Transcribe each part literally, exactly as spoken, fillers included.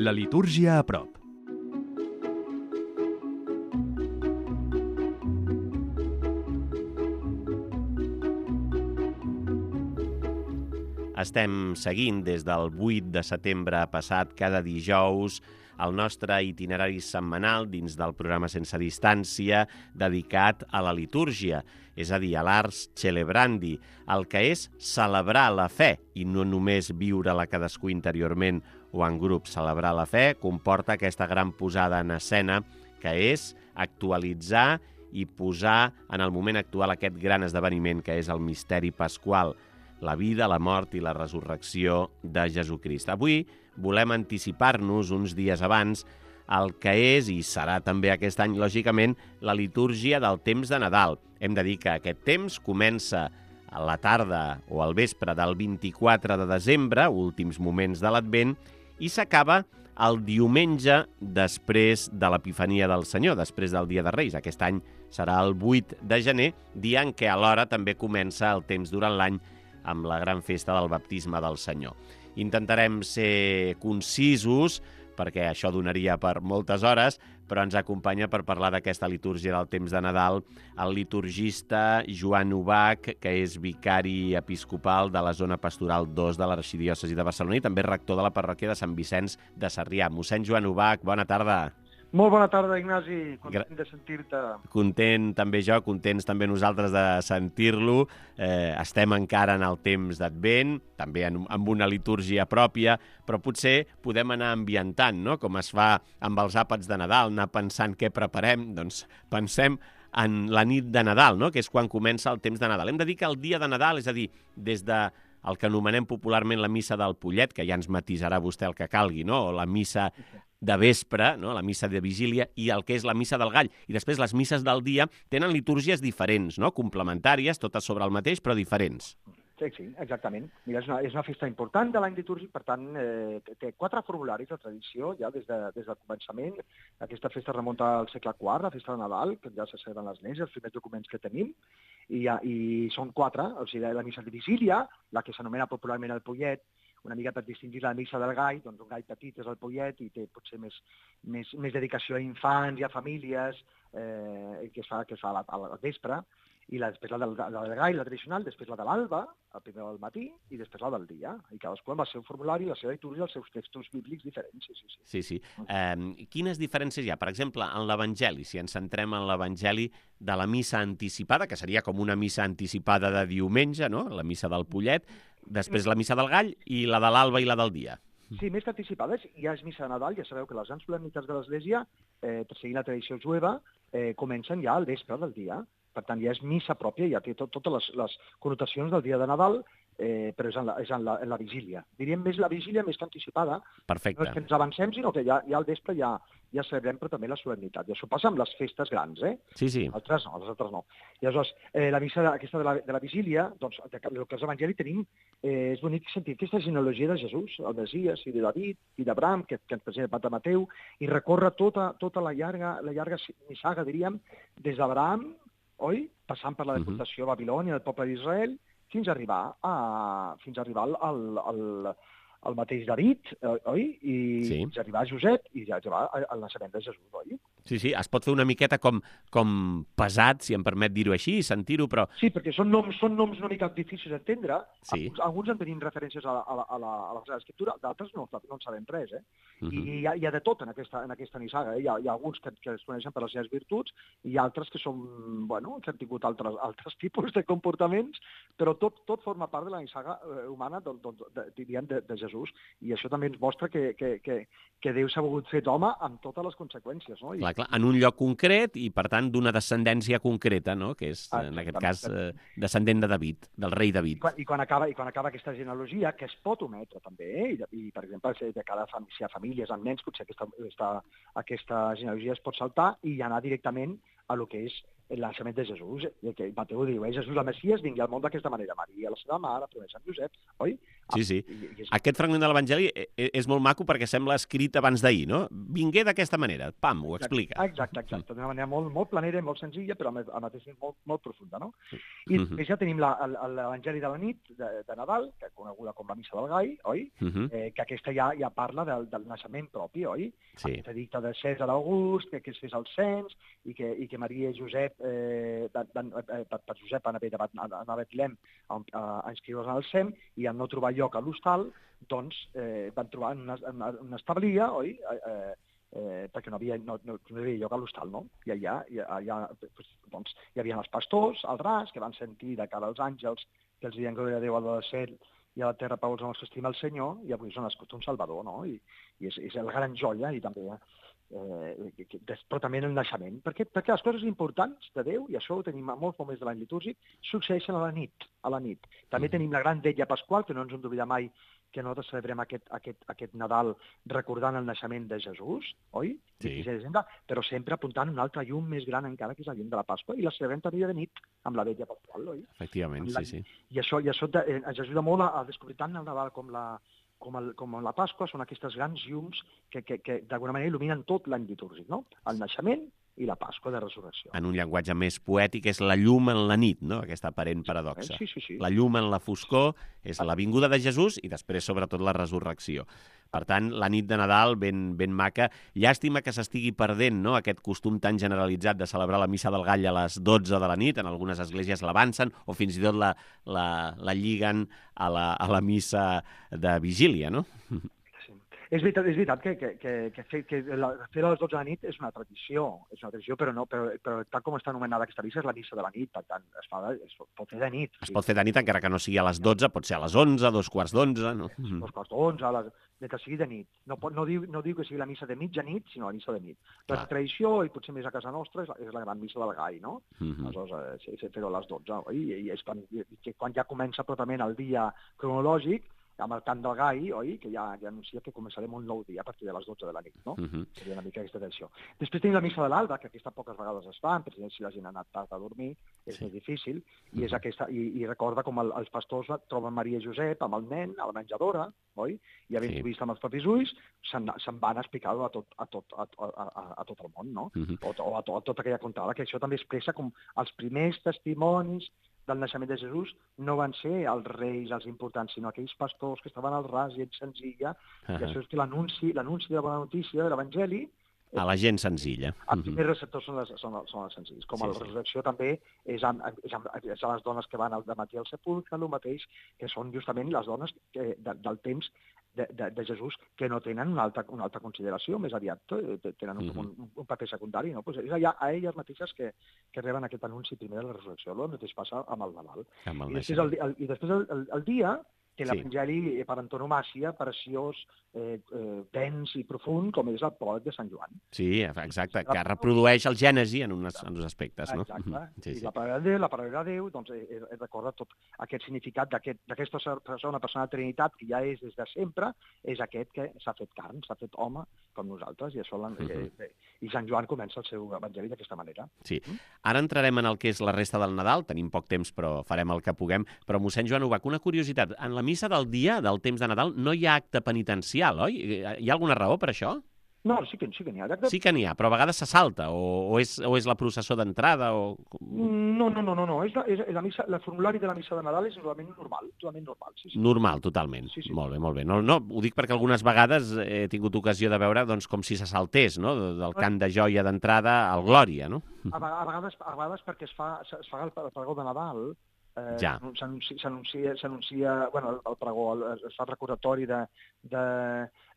La litúrgia a prop. Estem seguint des del vuit de setembre passat cada dijous el nostre itinerari setmanal dins del programa Sense Distància dedicat a la litúrgia, és a dir, a l'Ars Celebrandi, el que és celebrar la fe i no només viure-la cadascú interiorment o en grup. Celebrar la fe comporta aquesta gran posada en escena que és actualitzar i posar en el moment actual aquest gran esdeveniment que és el misteri pasqual, la vida, la mort i la resurrecció de Jesucrist. Avui volem anticipar-nos uns dies abans el que és i serà també aquest any, lògicament, la litúrgia del temps de Nadal. Hem de dir que aquest temps comença a la tarda o al vespre del vint-i-quatre de desembre, últims moments de l'Advent, i s'acaba el diumenge després de l'Epifania del Senyor, després del Dia de Reis. Aquest any serà el vuit de gener, dia en què alhora també comença el temps durant l'any amb la gran festa del baptisme del Senyor. Intentarem ser concisos, perquè això donaria per moltes hores, però ens acompanya per parlar d'aquesta litúrgia del temps de Nadal el liturgista Joan Ubach, que és vicari episcopal de la zona pastoral dos de l'Arxidiòcesi de Barcelona i també rector de la parròquia de Sant Vicenç de Sarrià. Mossèn Joan Ubach, bona tarda. Molt bona tarda, Ignasi. Content de sentir-te. Content també jo, contents també nosaltres de sentir-lo. Eh, estem encara en el temps d'Advent, també en, amb una litúrgia pròpia, però potser podem anar ambientant, no? Com es fa amb els àpats de Nadal, anar pensant què preparem. Doncs pensem en la nit de Nadal, no? Que és quan comença el temps de Nadal. Hem de dir que el dia de Nadal, és a dir, des de el que anomenem popularment la missa del Pollet, que ja ens matisarà vostè el que calgui, no? O la missa de vespre, no? La missa de vigília, i el que és la missa del Gall. I després les misses del dia tenen litúrgies diferents, no? Complementàries, totes sobre el mateix, però diferents. Sí, sí, exactament. Mira, és una, és una festa important de l'any litúrgic, per tant, eh, té quatre formularis de tradició ja des, de, des del començament. Aquesta festa remunta al segle quart, la festa de Nadal, que ja se celebren les lleis, els primers documents que tenim, i, i són quatre, o sigui, la missa de vigília, la que s'anomena popularment el Pollet, una mica per distingir la missa del gall, doncs un gall petit és el Pollet i té potser més, més, més dedicació a infants i a famílies, eh, que es fa, que es fa al vespre, i la, després la del, la del gall, la tradicional, després la de l'alba, el primer del matí, i després la del dia. I cadascú amb el seu formulari, la seva litúrgia, els seus textos bíblics diferents. Sí, sí, sí. sí, sí. Eh, quines diferències hi ha? Per exemple, en l'Evangeli, si ens centrem en l'Evangeli de la missa anticipada, que seria com una missa anticipada de diumenge, no? La missa del Pollet, després la missa del gall i la de l'alba i la del dia. Sí, més que anticipades, ja és missa de Nadal, ja sabeu que les grans solemnitats de l'Església, eh, seguint la tradició jueva, eh, comencen ja al vespre del dia. Per tant, ja és missa pròpia, ja té tot, totes les, les connotacions del dia de Nadal, eh, però és, en la, és en, la, en la vigília. Diríem més la vigília més que anticipada. Perfecte. No és que ens avancem, sinó que ja, ja al vespre ja, ja celebrem, però també la solemnitat. I això passa amb les festes grans, eh? Sí, sí. Altres no, les altres no. I aleshores, eh, la missa de, aquesta de la, de la vigília, doncs, el que els evangelis tenim, eh, és bonic sentir aquesta genealogia de Jesús, el Messies, i de David, i d'Abraham, que, que ens presenta el Pare Mateu, i recorre tota, tota la llarga, la llarga nissaga, diríem, des d'Abraham, oi? Passant per la deportació a Babilònia del poble d'Israel, fins a arribar a, fins a arribar al, al, al, al mateix David, oi? I sí. Fins a arribar a Josep i ja arribar al naixement de Jesús, oi? Sí, sí, es pot fer una miqueta com, com pesat, si em permet dir-ho així, sentir-ho, però... Sí, perquè són noms, són noms una mica difícils d'entendre. Sí. Alguns, alguns en tenim referències a la, a la, a la, a la Escriptura, d'altres no, no en sabem res, eh? Uh -huh. I hi ha, hi ha de tot en aquesta, en aquesta nissaga, eh? Hi ha, hi ha alguns que, que es coneixen per les seves virtuts i altres que són, bueno, que han tingut altres, altres tipus de comportaments, però tot, tot forma part de la nissaga eh, humana, de, de, de, diríem, de, de Jesús. I això també ens mostra que, que, que, que Déu s'ha volgut fer d'home amb totes les conseqüències, no? I, clar, clar, en un lloc concret i, per tant, d'una descendència concreta, no? Que és, en aquest cas, eh, descendent de David, del rei David. I quan, i quan, acaba, i quan acaba aquesta genealogia, que es pot ometre també, eh? I, i per exemple, de cada fam si hi ha famílies amb nens, potser aquesta, aquesta, aquesta genealogia es pot saltar i anar directament a lo que és el naixement de Jesús. I que Mateu diu, eh, Jesús el Messies vingui al món d'aquesta manera. Maria, la seva mare, primer Sant Josep, oi? Sí, sí. I, i és... Aquest fragment de l'Evangeli és molt maco perquè sembla escrit abans d'ahir, no? Vingué d'aquesta manera, pam, ho explica. Exacte, exacte. D'una manera molt, molt planera i molt senzilla, però al mateix temps molt, molt profunda, no? I uh -huh. ja tenim l'Evangeli de la nit de, de Nadal, que és coneguda com la Missa del Gall, oi? Uh -huh. eh, que aquesta ja, ja parla del, del naixement propi, oi? Sí. Aquesta dicta de Cèsar August, que, que es fes el cens, i que, i que Maria i Josep, eh, van, van, eh, per, per Josep van haver d'anar a Betlem a, a, a inscriure's al S E M, i al no trobar lloc a l'hostal, doncs eh, van trobar una, una, una establia, oi? Eh, eh, perquè no havia, no, no, no hi havia lloc a l'hostal, no? I allà, allà doncs, hi havia els pastors, al ras, que van sentir de cara als àngels que els diuen glòria a Déu al cel i a la terra pau als homes que estima el Senyor, i avui s'ha nascut un Salvador, no? I, i és, és la gran joia, i també eh, però també en el naixement, perquè, perquè les coses importants de Déu, i això ho tenim a molts moments de l'any litúrgic, succeeixen a la nit, a la nit. També tenim la gran vetlla pasqual, que no ens hem d'oblidar mai que nosaltres celebrem aquest, aquest, aquest Nadal recordant el naixement de Jesús, oi? Sí. De desembre, però sempre apuntant un altre llum més gran encara, que és la llum de la Pasqua, i la celebrem també de nit, amb la vetlla pasqual, oi? Efectivament, la... sí, sí. I això, i això eh, ens ajuda molt a, a descobrir tant el Nadal com la, com, el, com la Pasqua, són aquestes grans llums que, que, que d'alguna manera il·luminen tot l'any litúrgic, no? El naixement i la Pasqua de Resurrecció. En un llenguatge més poètic és la llum en la nit, no? Aquesta aparent paradoxa. Sí, sí, sí. La llum en la foscor és la vinguda de Jesús i després, sobretot, la resurrecció. Per tant, la nit de Nadal ben, ben maca. Llàstima que s'estigui perdent, no?, aquest costum tan generalitzat de celebrar la Missa del Gall a les dotze de la nit. En algunes esglésies l'avancen o fins i tot la, la, la lliguen a la, a la missa de vigília, no? És veritat, és veritat que, que, que, que, fer, que la, fer a les dotze de la nit és una tradició, és una tradició, però, no, però, però tal com està anomenada aquesta missa és la missa de la nit, per tant, es, fa, es pot fer de nit. Es pot fer de nit encara que no sigui a les dotze, pot ser a les onze, dos quarts d'onze, no? Dos quarts d'onze, a les... que sigui de nit. No, pot, no, diu, no diu que sigui la missa de mitjanit, sinó la missa de nit. La tradició, i potser més a casa nostra, és la, és la gran missa del Gall, no? Uh -huh. Aleshores, eh, fer-ho a les dotze, oi? I és quan, i, quan ja comença pròpiament el dia cronològic, amb el cant del gall, oi?, que ja, ja anuncia que començarem un nou dia a partir de les dotze de la nit, no? Uh-huh. Seria una mica aquesta tradició. Després tenim la missa de l'alba, que aquesta poques vegades es fa, perquè si la gent ha anat tard a dormir, és sí. més difícil, i, uh-huh. és aquesta, i, i recorda com el, els pastors troben Maria i Josep amb el nen a la menjadora, oi?, i havent sí. vist amb els propis ulls, se'n se van explicar-ho a tot, a, tot, a, a, a tot el món, no? Uh-huh. O, o a, to, a tota aquella contada, que això també expressa com els primers testimonis del naixement de Jesús no van ser els reis, els importants, sinó aquells pastors que estaven al ras, gent senzilla, uh-huh. i això és que l'anunci l'anunci de la bona notícia de l'Evangeli... A la gent senzilla. Els uh-huh. primers receptors són, les, són, són els senzills. Com sí, a la resurrecció sí. també és, amb, és, amb, és a les dones que van al dematí al sepulcre, el mateix, que són justament les dones que, de, del temps de, de, de Jesús, que no tenen una altra, una altra consideració, més aviat tenen un, uh-huh. un, un paper secundari, no? Pues és allà, a elles mateixes que, que reben aquest anunci primer de la resurrecció. El mateix passa amb el Nadal. Amb el I, després el, el, I després el, el, el dia, que l'Evangeli sí. per antonomàcia, preciós, eh, eh, tens i profund, com és el pròleg de Sant Joan. Sí, exacte, que reprodueix el Gènesi en, unes, en uns aspectes, no? Exacte, sí, sí. I la paraula de Déu, la paraula de Déu, doncs, eh, eh, recorda tot aquest significat d'aquesta aquest, persona, persona de Trinitat, que ja és des de sempre, és aquest que s'ha fet carn, s'ha fet home, com nosaltres, i això uh-huh. eh, i Sant Joan comença el seu evangeli d'aquesta manera. Sí. Ara entrarem en el que és la resta del Nadal, tenim poc temps, però farem el que puguem, però mossèn Joan Ubach, una curiositat, en la missa del dia, del temps de Nadal, no hi ha acte penitencial, oi? Hi ha alguna raó per això? No, sí que, sí que n'hi ha. Acte... Sí que n'hi ha, però a vegades se salta, o, o, és, o és la processó d'entrada, o... No, no, no, no, no. És la, és la missa, el formulari de la missa de Nadal és totalment normal, totalment normal. Sí, sí. Normal, totalment. Sí, sí. Molt bé, molt bé. No, no, ho dic perquè algunes vegades he tingut ocasió de veure doncs, com si se saltés, no?, del cant de joia d'entrada al Glòria, no? A, a, vegades, a vegades perquè es fa, es fa el, el pregó de Nadal, Eh, ja. S'anuncia, s'anuncia, bueno, el pregó, es fa el recordatori de, de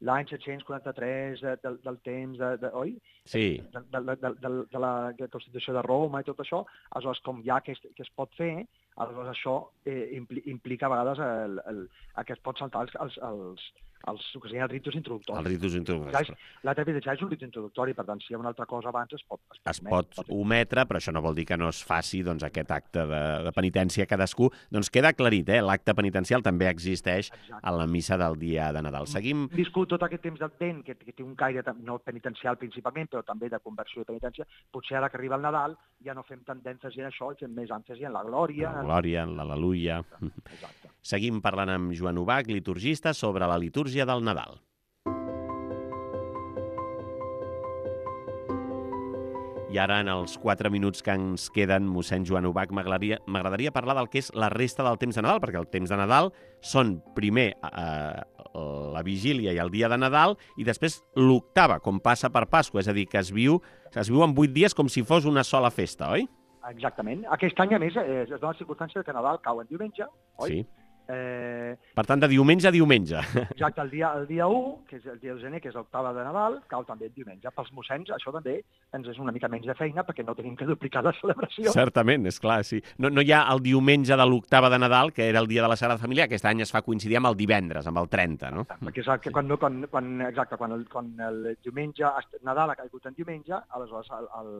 l'any set-cents quaranta-tres, de, de, del temps, de, de, oi? Sí. De, de, de, de, de la Constitució de Roma i tot això, aleshores, com ja que es, que es pot fer, Aleshores, això eh, impli, implica a vegades el, el, el que es pot saltar els, els, els, els, que els ritus introductoris. Els ritus introductoris. La terapia és un ritu introductori, per tant, si hi ha una altra cosa abans es pot, es pot, es pot, pot ometre, però això no vol dir que no es faci doncs, aquest acte de, de penitència cadascú. Doncs queda aclarit, eh? L'acte penitencial també existeix Exacte. a la missa del dia de Nadal. Seguim... Hem viscut tot aquest temps d'Advent, que, que té un caire no penitencial principalment, però també de conversió i penitència. Potser ara que arriba el Nadal ja no fem tant d'èmfasi en això, i fem més èmfasi en la glòria. La glòria, en l'al·leluia. Exacte. Seguim parlant amb Joan Ubach, liturgista, sobre la litúrgia del Nadal. I ara, en els quatre minuts que ens queden, mossèn Joan Ubach, m'agradaria parlar del que és la resta del temps de Nadal, perquè el temps de Nadal són primer eh, la vigília i el dia de Nadal i després l'octava, com passa per Pasqua, és a dir, que es viu, es viu en vuit dies com si fos una sola festa, oi? Exactament. Aquest any, a més, es dona la circumstància que Nadal cau en diumenge, oi? Sí. Eh... Per tant, de diumenge a diumenge. Exacte, el dia, el dia u, que és el dia de gener, que és l'octava de Nadal, cau també el diumenge. Pels mossens, això també ens és una mica menys de feina, perquè no tenim que duplicar la celebració. Certament, és clar, sí. No, no hi ha el diumenge de l'octava de Nadal, que era el dia de la Sagrada Família, aquest any es fa coincidir amb el divendres, amb el trenta, no? Perquè és que quan, quan, quan, exacte, quan el, quan el diumenge, Nadal ha caigut en diumenge, aleshores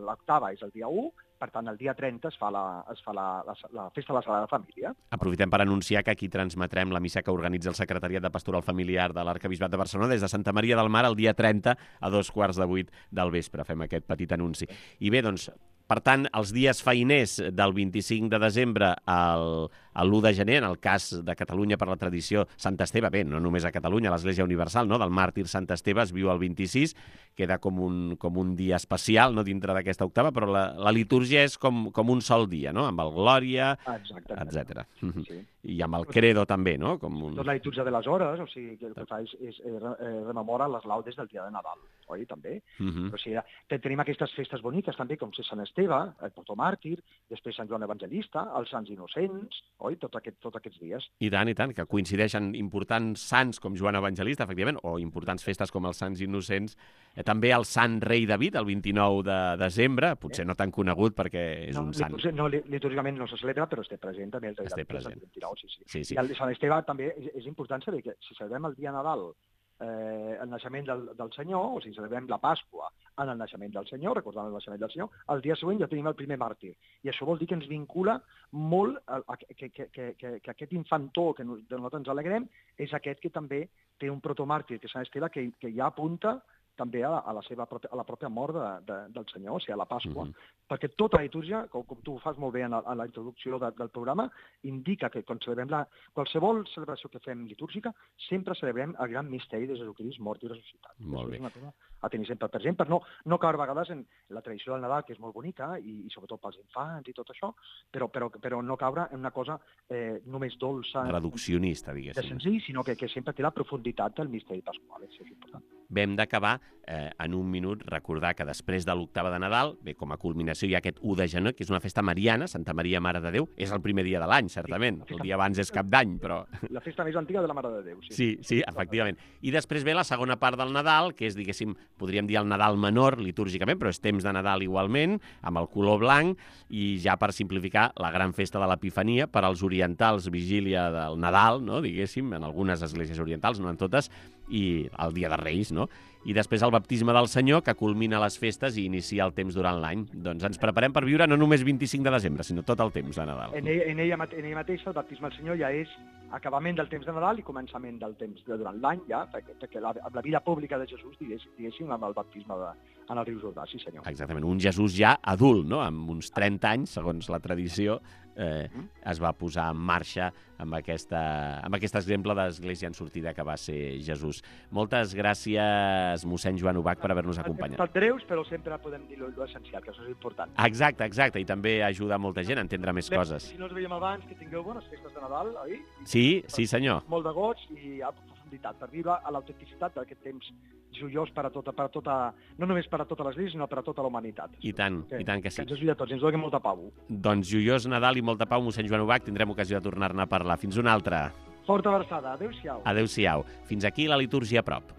l'octava és el dia u, per tant, el dia trenta es fa la, es fa la, la, la festa de la Sagrada Família. Aprofitem per anunciar que aquí transmetrem la missa que organitza el Secretariat de Pastoral Familiar de l'Arquebisbat de Barcelona des de Santa Maria del Mar el dia trenta a dos quarts de vuit del vespre. Fem aquest petit anunci. I bé, doncs, per tant, els dies feiners del vint-i-cinc de desembre al, a l'u de gener, en el cas de Catalunya per la tradició Sant Esteve, bé, no només a Catalunya, a l'Església Universal, no?, del màrtir Sant Esteve es viu el vint-i-sis, queda com un, com un dia especial, no?, dintre d'aquesta octava, però la, la litúrgia és com, com un sol dia, no?, amb el Glòria, etcètera. Sí. I amb el Credo també, no? Com un... Tot la litúrgia de les hores, o sigui, que el que fa és, és eh, rememora les laudes del dia de Nadal, oi, també? Uh -huh. O sigui, tenim aquestes festes boniques també, com Sant Esteve, el protomàrtir, després Sant Joan Evangelista, els Sants Innocents, oi, tots aquest, tot aquests dies. I tant, i tant, que coincideixen importants sants com Joan Evangelista, efectivament, o importants festes com els Sants Innocents, eh, també el Sant Rei David, el vint-i-nou de desembre, potser eh? no tan conegut perquè és no, un sant. No, litúrgicament no se celebra, però es té present també el Rei David, present. el vint-i-nou. Sí, sí. Sí, sí. I el Sant Esteve també és, és important saber que si celebrem el dia Nadal eh, el naixement del, del Senyor, o si celebrem la Pasqua en el naixement del Senyor, recordant el naixement del Senyor, el dia següent ja tenim el primer màrtir. I això vol dir que ens vincula molt a, a, que, que, que, que, que aquest infantó que nos, de nosaltres ens alegrem és aquest que també té un protomàrtir, que és Sant Esteve, que, que ja apunta també a la, a la seva pròpia, a la pròpia mort de, de, del Senyor, o sigui, a la Pasqua, uh -huh. perquè tota la litúrgia, com, com tu ho fas molt bé en la, en la introducció de, del programa, indica que quan celebrem la, qualsevol celebració que fem litúrgica, sempre celebrem el gran misteri de Jesucrist mort i ressuscitat. Molt bé. És una cosa a tenir sempre present, per no, no caure a vegades en la tradició del Nadal, que és molt bonica, i, i sobretot pels infants i tot això, però, però, però no caure en una cosa eh, només dolça... Reduccionista, diguéssim. De senzill, sinó que, que sempre té la profunditat del misteri pasqual, això és important. Bé, hem d'acabar eh, en un minut, recordar que després de l'octava de Nadal, bé, com a culminació hi ha aquest u de gener, que és una festa mariana, Santa Maria Mare de Déu, és el primer dia de l'any, certament. Sí, el dia abans és Cap d'Any, però... La festa més antiga de la Mare de Déu, sí. Sí, sí, efectivament. I després ve la segona part del Nadal, que és, diguéssim, podríem dir el Nadal menor, litúrgicament, però és temps de Nadal igualment, amb el color blanc, i ja per simplificar, la gran festa de l'Epifania, per als orientals, vigília del Nadal, no?, diguéssim, en algunes esglésies orientals, no en totes, i el dia de Reis, no? I després el baptisme del Senyor, que culmina les festes i inicia el temps durant l'any. Doncs ens preparem per viure no només vint-i-cinc de desembre, sinó tot el temps de Nadal. En ella, en ella, en ella mateixa, el baptisme del Senyor ja és acabament del temps de Nadal i començament del temps de durant l'any, ja, perquè, perquè la, amb la vida pública de Jesús, diguéssim, diguéssim amb el baptisme de, en el riu Jordà, sí senyor. Exactament, un Jesús ja adult, no?, amb uns trenta anys, segons la tradició, eh, es va posar en marxa amb, aquesta, amb aquest exemple d'església en sortida que va ser Jesús. Moltes gràcies, mossèn Joan Ubach, per haver-nos acompanyat. Hem estat breus, però sempre podem dir l'essencial, que això és important. Exacte, exacte, i també ajuda molta gent a entendre més Bé, coses. Si no ens veiem abans, que tingueu bones festes de Nadal, oi? Sí, sí senyor. Molt de goig i a profunditat, per viure a l'autenticitat d'aquest temps joiós per a tota, per a tota, no només per a tota l'Església, sinó per a tota la humanitat. I tant, que, i tant que sí. Que ens ajudi a tots, ens doni molta pau. Doncs joiós Nadal i molta pau, mossèn Joan Ubach, tindrem ocasió de tornar-ne a parlar. Fins una altra. Forta abraçada, adéu-siau. Adéu-siau. Fins aquí la litúrgia a prop.